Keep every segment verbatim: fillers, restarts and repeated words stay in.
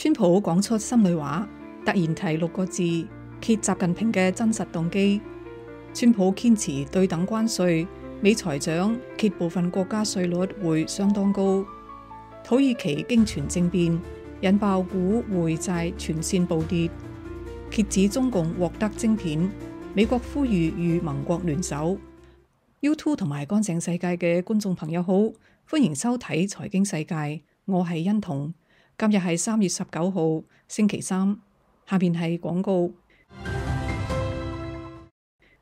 川普講出心裏話，突然提六個字，揭習近平嘅真實動機。川普堅持對等關稅，美財長揭部分國家稅率會相當高。土耳其經傳政變，引爆股匯債全線暴跌。揭指中共獲得晶片，美國呼籲與盟國聯手。YouTube 同埋乾淨世界嘅觀眾朋友好，歡迎收睇財經世界，我係欣彤。今日係三月十九號，星期三。下面係廣告。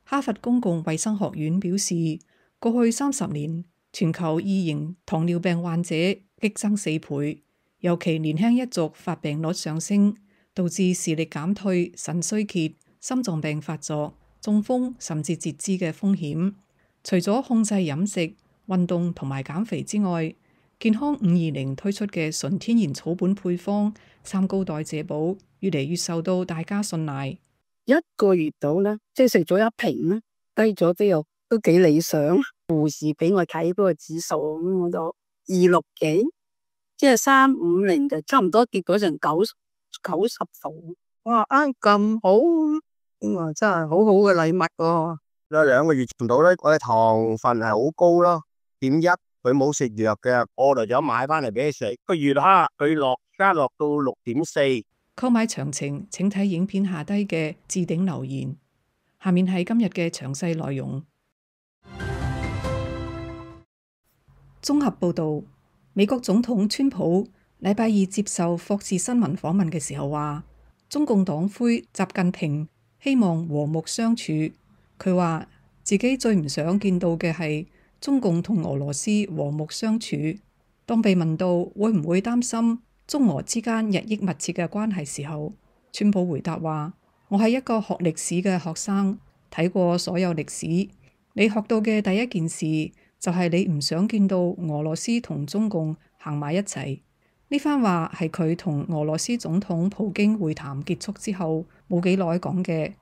哈佛公共衛生學院表示，過去三十年，全球二型糖尿病患者激增四倍，尤其年輕一族發病率上升，導致視力減退、腎衰竭、心臟病發作、中風甚至截肢嘅風險。除咗控制飲食、運動同埋減肥之外，健康五二零推出嘅純天然草本配方三高代謝寶越嚟越受到大家信賴。一個月到啦，即係食咗一瓶啦，低咗之後都幾理想。護士俾我睇嗰個指數，咁我就二六幾，即係三五零就差唔多跌咗成九九十度。哇，啱咁好，咁啊真係好好嘅禮物喎。有兩個月唔到咧，我嘅糖分係好高咯，點一。佢冇食藥嘅，我就想買翻嚟俾佢食。個月黑佢落加落到六點四。購買詳情請睇影片下低嘅置頂留言。下面係今日嘅詳細內容。綜合報導，美國總統川普禮拜二接受霍士新聞訪問嘅時候話，中共黨魁習近平希望和睦相處。佢話自己最唔想見到嘅係中共同俄羅斯和睦相處。當被問到會唔會擔心中俄之間日益密切嘅關係時候，川普回答話：我係一個學歷史嘅學生，睇過所有歷史。你學到嘅第一件事就係你唔想見到俄羅斯同中共行埋一齊。呢番話係佢同俄羅斯總統普京會談結束之後冇幾耐講嘅。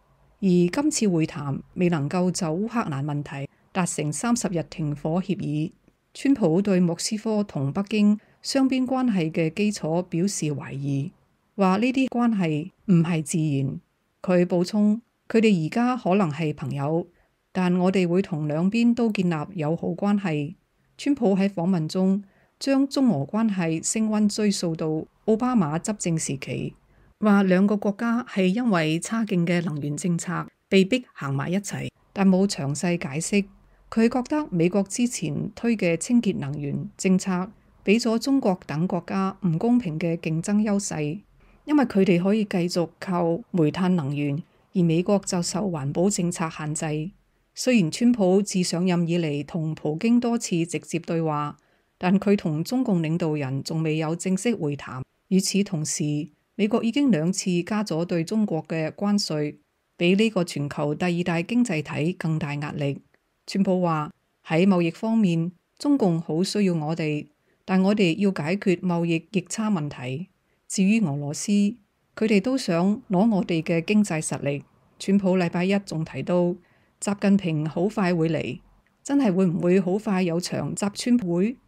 而今次會談未能夠就烏克蘭問題達成三十日停火協議。川普對莫斯科同北京雙邊關係嘅基礎表示懷疑，話呢啲關係唔係自然。佢補充，佢哋而家可能係朋友，但我哋會同兩邊都建立友好關係。川普喺訪問中將中俄關係升溫追溯到奧巴馬執政時期，話兩個國家係因為差勁嘅能源政策被逼行埋一齊，但冇詳細解釋。佢覺得美國之前推嘅清潔能源政策俾咗中國等國家唔公平嘅競爭優勢，因為佢哋可以繼續靠煤炭能源，而美國就受環保政策限制。雖然川普自上任以嚟同普京多次直接對話，但佢同中共領導人仲未有正式會談。與此同時，美國已經兩次加咗對中國嘅關稅，比呢個全球第二大經濟體更大壓力。川普話喺貿易方面，中共好需要我哋，但我哋要解決貿易逆差問題。至於俄羅斯，佢哋都想攞我哋嘅經濟實力。川普禮拜一仲提到，習近平好快會嚟，真係會唔會好快有場習川會？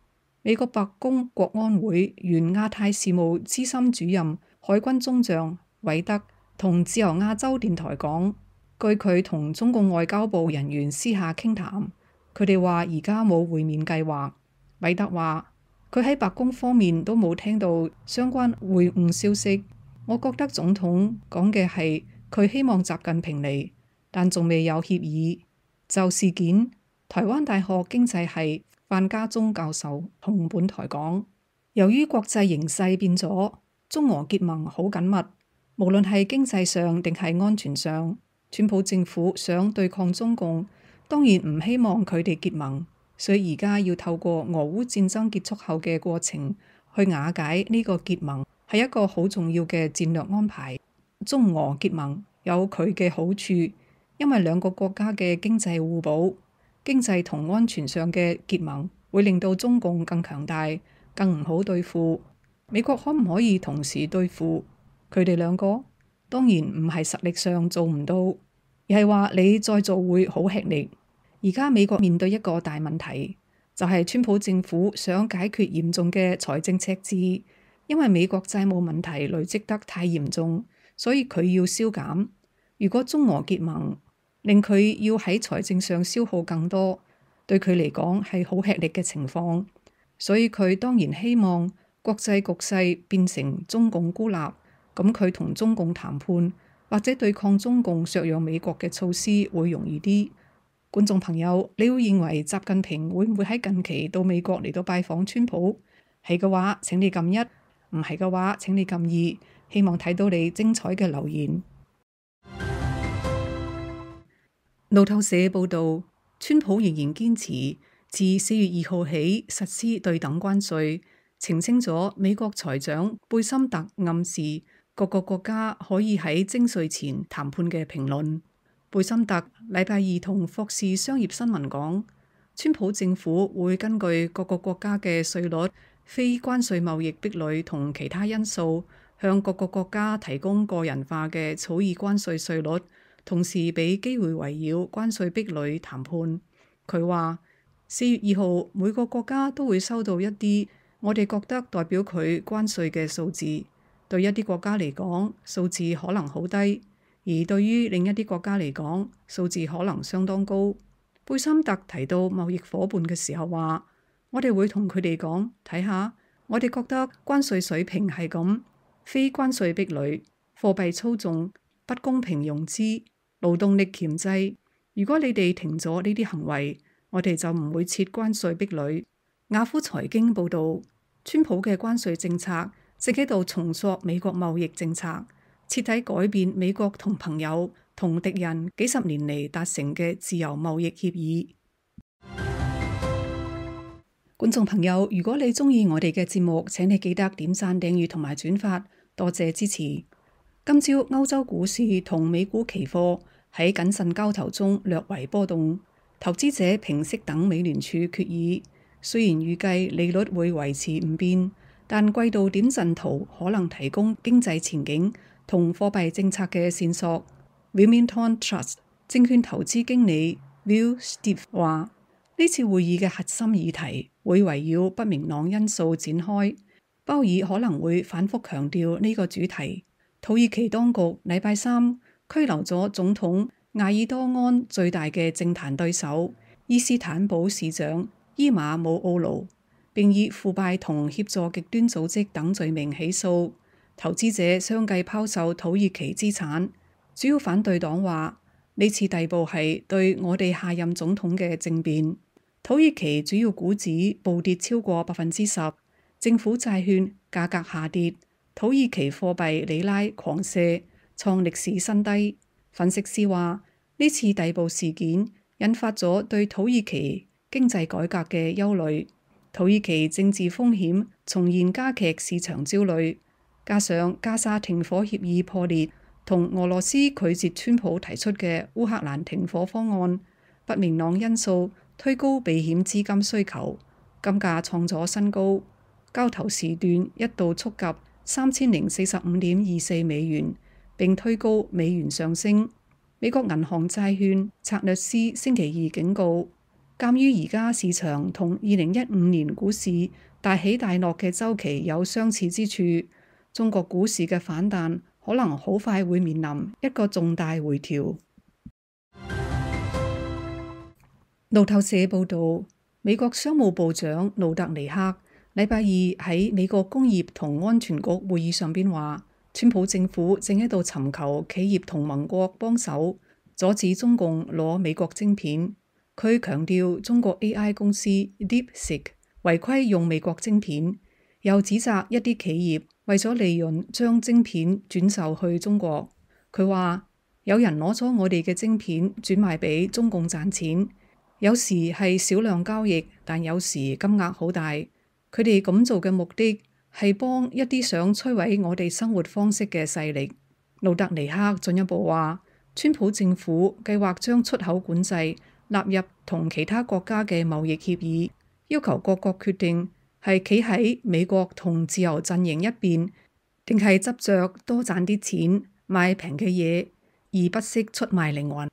美國白宮國安會原亞太事務資深主任海軍中將韋德同自由亞洲電台講，據佢同中共外交部人員私下傾談，佢哋話而家冇會面計劃。韋德話佢喺白宮方面都冇聽到相關會晤消息。我覺得總統講嘅係佢希望習近平嚟，但仲未有協議。就事件，台灣大學經濟系范家忠教授同本台講，由於國際形勢變咗，中俄結盟好緊密，無論係經濟上定係安全上。川普政府想對抗中共，當然唔希望佢哋結盟，所以而家要透過俄烏戰爭結束後嘅過程去瓦解呢個結盟，係一個好重要嘅戰略安排。中俄結盟有佢嘅好處，因為兩個國家嘅經濟互補，經濟同安全上嘅結盟會令到中共更強大，更唔好對付。美國可唔可以同時對付佢哋兩個？當然唔係實力上做唔到，而係話你再做會好吃力。而家美國面對一個大問題，就係川普政府想解決嚴重嘅財政赤字，因為美國債務問題累積得太嚴重，所以佢要削減。如果中俄結盟，令佢要喺財政上消耗更多，對佢嚟講係好吃力嘅情況。所以佢當然希望國際局勢變成中共孤立，咁佢同中共談判或者對抗中共削弱美國嘅措施會容易啲。觀眾朋友，你會認為習近平會唔會喺近期到美國嚟到拜訪川普？係嘅話請你撳一，唔係嘅話請你撳二。希望睇到你精彩嘅留言。路透社報道，川普仍然堅持自四月二號起實施對等關稅，澄清咗美國財長貝森特暗示各個國家可以喺徵稅前談判嘅評論。貝森特禮拜二同霍士商業新聞講，川普政府會根據各個國家嘅稅率、非關稅貿易壁壘同其他因素，向各個國家提供個人化嘅草擬關稅稅率，同時俾機會圍繞關稅壁壘談判。佢話四月二號每個國家都會收到一啲我哋覺得代表佢關稅嘅數字，對一啲國家嚟講數字可能好低，而對於另一啲國家嚟講數字可能相當高。貝森特提到貿易夥伴嘅時候話，我哋會同佢哋講，睇下我哋覺得關稅水平係咁，非關稅壁壘、貨幣操縱、不公平融資、勞動力鉗制。如果你哋停咗呢啲行為，我哋就唔會設關稅壁壘。雅虎財經報導，川普嘅關稅政策正喺度重塑美國貿易政策，徹底改變美國同朋友同敵人幾十年嚟達成嘅自由貿易協議。觀眾朋友，如果你鍾意我哋嘅節目，請你記得點讚、訂閱同埋轉發，多謝支持。今朝歐洲股市同美股期貨喺謹慎交投中略為波動，投資者平息等美聯儲決議。雖然預計利率會維持唔變，但季度點陣圖可能提供經濟前景同貨幣政策嘅線索。Wilmington Trust 證券投資經理 Will Steve 話：呢次會議嘅核心議題會圍繞不明朗因素展開，鮑爾可能會反覆強調呢個主題。土耳其當局禮拜三拘留咗總統艾爾多安最大嘅政壇對手伊斯坦堡市長伊馬姆奧盧，並以腐敗同協助極端組織等罪名起訴。投資者相繼拋售土耳其資產。主要反對黨話呢次逮捕係對我哋下任總統嘅政變。土耳其主要股指暴跌超過百分之十，政府債券價格下跌，土耳其貨幣里拉狂瀉，創歷史新低。分析師話呢次逮捕事件引發咗對土耳其經濟改革嘅憂慮，土耳其政治風險重現加劇市場焦慮，加上加沙停火協議破裂，同俄羅斯拒絕川普提出嘅烏克蘭停火方案，不明朗因素推高避險資金需求，金價創咗新高，交投時段一度觸及三千零四十五點二四美元，並推高美元上升。美國銀行債券策略師星期二警告，鑑於而家市場同二零一五年股市大起大落嘅週期有相似之處，中國股市嘅反彈可能好快會面臨一個重大回調。路透社報導，美國商務部長盧特尼克禮拜二喺美國工業同安全局會議上邊話，川普政府正喺度尋求企業同盟國幫手，阻止中共攞美國晶片。佢強調中國 A I 公司 DeepSeek 違規用美國晶片，又指責一啲企業為咗利潤將晶片轉售去中國。佢話有人攞咗我哋嘅晶片轉賣俾中共賺錢。有時係少量交易，但有時金額好大。佢哋咁做嘅目的係幫一啲想摧毀我哋生活方式嘅勢力。路特尼克進一步話，川普政府計劃將出口管制納入同其他國家嘅貿易協議，要求各國決定係企喺美國同自由陣營一邊，定係執着多賺啲錢買平嘅嘢，而不惜出賣靈魂。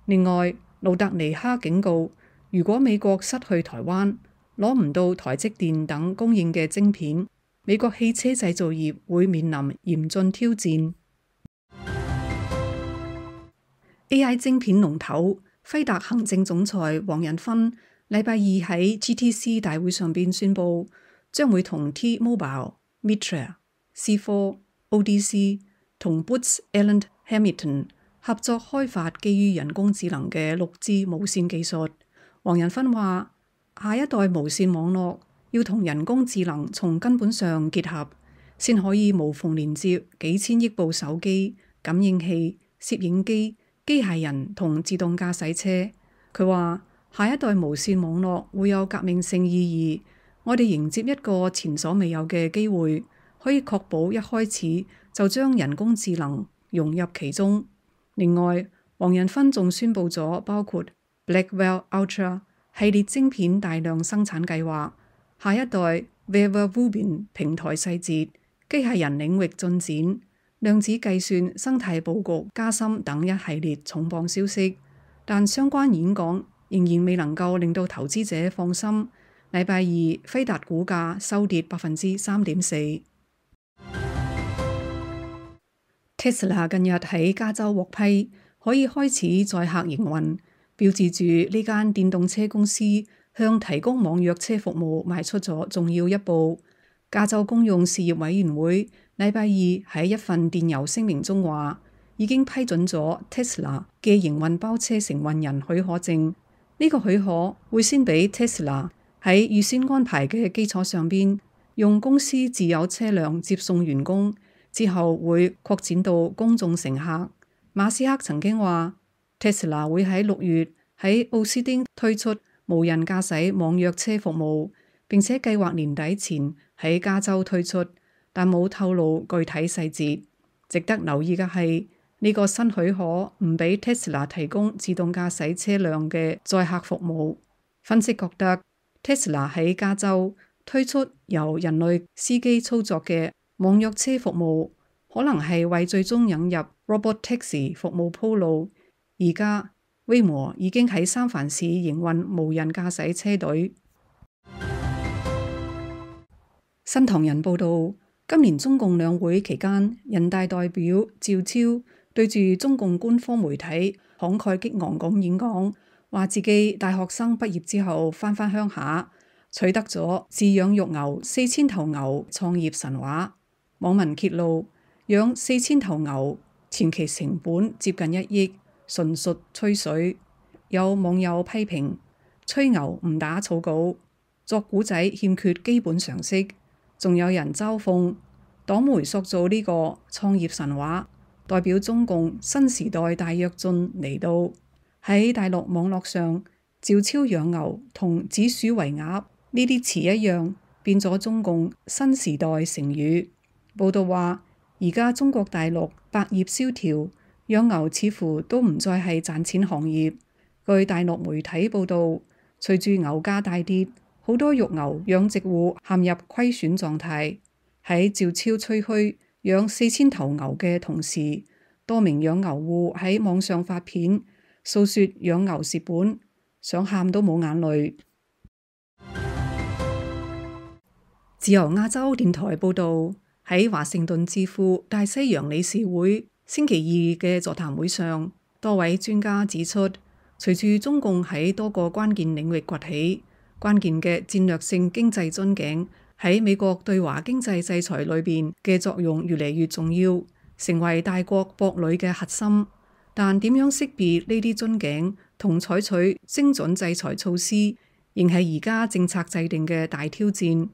另外，路特尼克警告，如果美國失去台灣，攞唔到台積電等供應嘅晶片，美國汽車製造業會面臨嚴峻挑戰。A I 晶片龍頭輝達行政總裁黃仁勳禮拜二喺 G T C 大會上邊宣布，將會同 T-Mobile、Mitra、C 四、O D C 同 Booz Allen Hamilton 合作開發基於人工智能嘅六 G 無線技術。黃仁勳話：下一代無線網絡要同人工智能從根本上結合，先可以無縫連接幾千億部手機、感應器、攝影機、機械人同自動駕駛車。佢話：下一代無線網絡會有革命性意義，我哋迎接一個前所未有嘅機會，可以確保一開始就將人工智能融入其中。另外，黃仁勳仲宣布咗包括 Blackwell Ultra 系列晶片大量生產計劃、下一代 Vera Rubin 平台細節、機械人領域進展、量子計算生態佈局加深等一系列重磅消息。但相關演講仍然未能夠令到投資者放心。禮拜二，輝達股價收跌百分之三點四。Tesla 近日喺加州獲批，可以開始載客營運，標誌住呢間電動車公司向提供網約車服務邁出咗重要一步。加州公用事業委員會禮拜二喺一份電郵聲明中話，已經批准咗 Tesla 嘅營運包車承運人許可證。呢個許可會先俾 Tesla 喺預先安排嘅基礎上邊，用公司自有車輛接送員工，之後會擴展到公眾乘客。馬斯克曾經話 Tesla 會喺六月喺奧斯汀推出無人駕駛網約車服務，並且計劃年底前喺加州推出，但冇透露具體細節。值得留意嘅係，呢個新許可唔俾 Tesla 提供自動駕駛車輛嘅載客服務。分析覺得 Tesla 喺加州推出由人類司機操作嘅網約車服務，可能係為最終引入 Robot Taxi 服務鋪路。而家 Waymo 已經喺三藩市營運無人駕駛車隊。新唐人報導，今年中共兩會期間，人大代表趙超對住中共官方媒體慷慨激昂咁演講，話自己大學生畢業之後返返鄉下，取得咗飼養育牛四千頭牛創業神話。網民揭露，養四千頭牛前期成本接近一億，純屬吹水。有網友批評，吹牛唔打草稿，作古仔欠缺基本常識。仲有人嘲諷，黨媒塑造呢個創業神話，代表中共新時代大躍進嚟到。喺大陸網絡上，趙超養牛同指鼠為鴨呢啲詞一樣，變咗中共新時代成語。報道話，而家中國大陸百業蕭條，養牛似乎都唔再係賺錢行業。據大陸媒體報道，隨住牛價大跌，好多育牛養殖戶陷入虧損狀態。喺趙超吹噓養四千頭牛嘅同時，多名養牛戶喺網上發片訴說養牛蝕本，想喊都冇眼淚。自由亞洲電台報導，喺華盛頓智庫大西洋理事會星期二嘅座談會上，多位專家指出，隨住中共喺多個關鍵領域崛起，關鍵嘅戰略性經濟樽頸喺美國對華經濟制裁裏邊嘅作用越嚟越重要，成為大國博壘嘅核心。但點樣識別呢啲樽頸同採取精準制裁措施，仍係而家政策制定嘅大挑戰。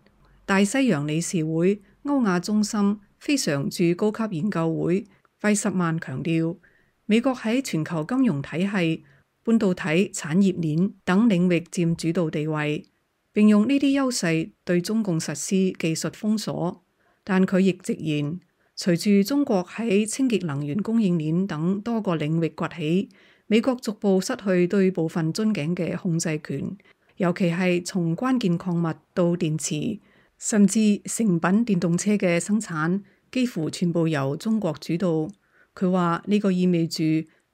大西洋理事會歐亞中心非常駐高級研究會費什曼強調，美國喺全球金融體系、半導體產業鏈等領域佔主導地位，並用呢啲優勢對中共實施技術封鎖。但佢亦直言，隨住中國喺清潔能源供應鏈等多個領域崛起，美國逐步失去對部分樽頸嘅控制權，尤其係從關鍵礦物到電池，甚至成品電動車嘅生產，幾乎全部由中國主導。佢話呢個意味住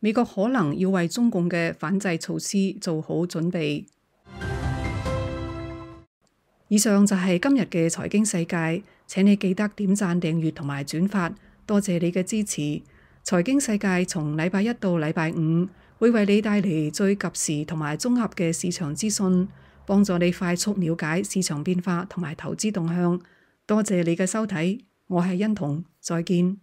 美國可能要為中共嘅反制措施做好準備。以上就係今日嘅財經世界，請你記得點讚、訂閱同埋轉發，多謝你嘅支持。財經世界從禮拜一到禮拜五會為你帶嚟最及時同埋綜合嘅市場資訊，幫助你快速了解市場變化同埋投資動向。多謝你嘅收睇，我係欣彤，再見。